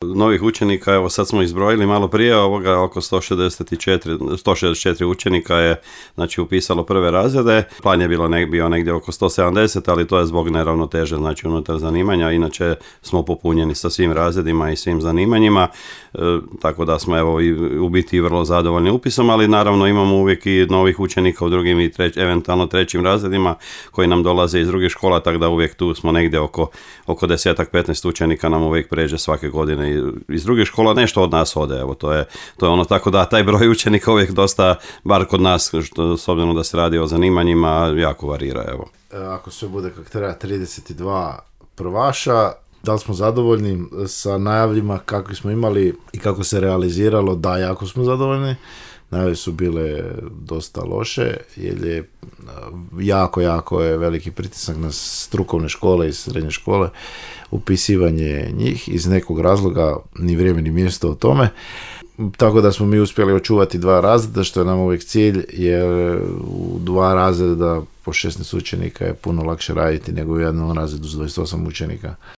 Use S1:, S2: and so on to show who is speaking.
S1: Novih učenika, evo sad smo izbrojili malo prije, oko 164 učenika je znači upisalo prve razrede. Plan je bio negdje oko 170, ali to je zbog neravnoteže znači unutar zanimanja, inače smo popunjeni sa svim razredima i svim zanimanjima, tako da smo evo u biti vrlo zadovoljni upisom, ali naravno imamo uvijek i novih učenika u drugim i eventualno trećim razredima koji nam dolaze iz drugih škola, tako da uvijek tu smo negdje oko 10-15 učenika nam uvijek pređe svake godine iz drugih škola, nešto od nas ode, evo to je ono, tako da taj broj učenika uvijek dosta, bar kod nas, s obzirom da se radi o zanimanjima, jako varira, evo.
S2: Ako sve bude kako treba, 32 prvaša, da li smo zadovoljni sa najavljima kakvi smo imali i kako se realiziralo? Da, jako smo zadovoljni. Najave su bile dosta loše, jer je jako je veliki pritisak na strukovne škole i srednje škole, upisivanje njih iz nekog razloga, ni vrijeme ni mjesto o tome. Tako da smo mi uspjeli očuvati 2 razreda, što je nam uvijek cilj, jer u 2 razreda po 16 učenika je puno lakše raditi nego u jednom razredu s 28 učenika.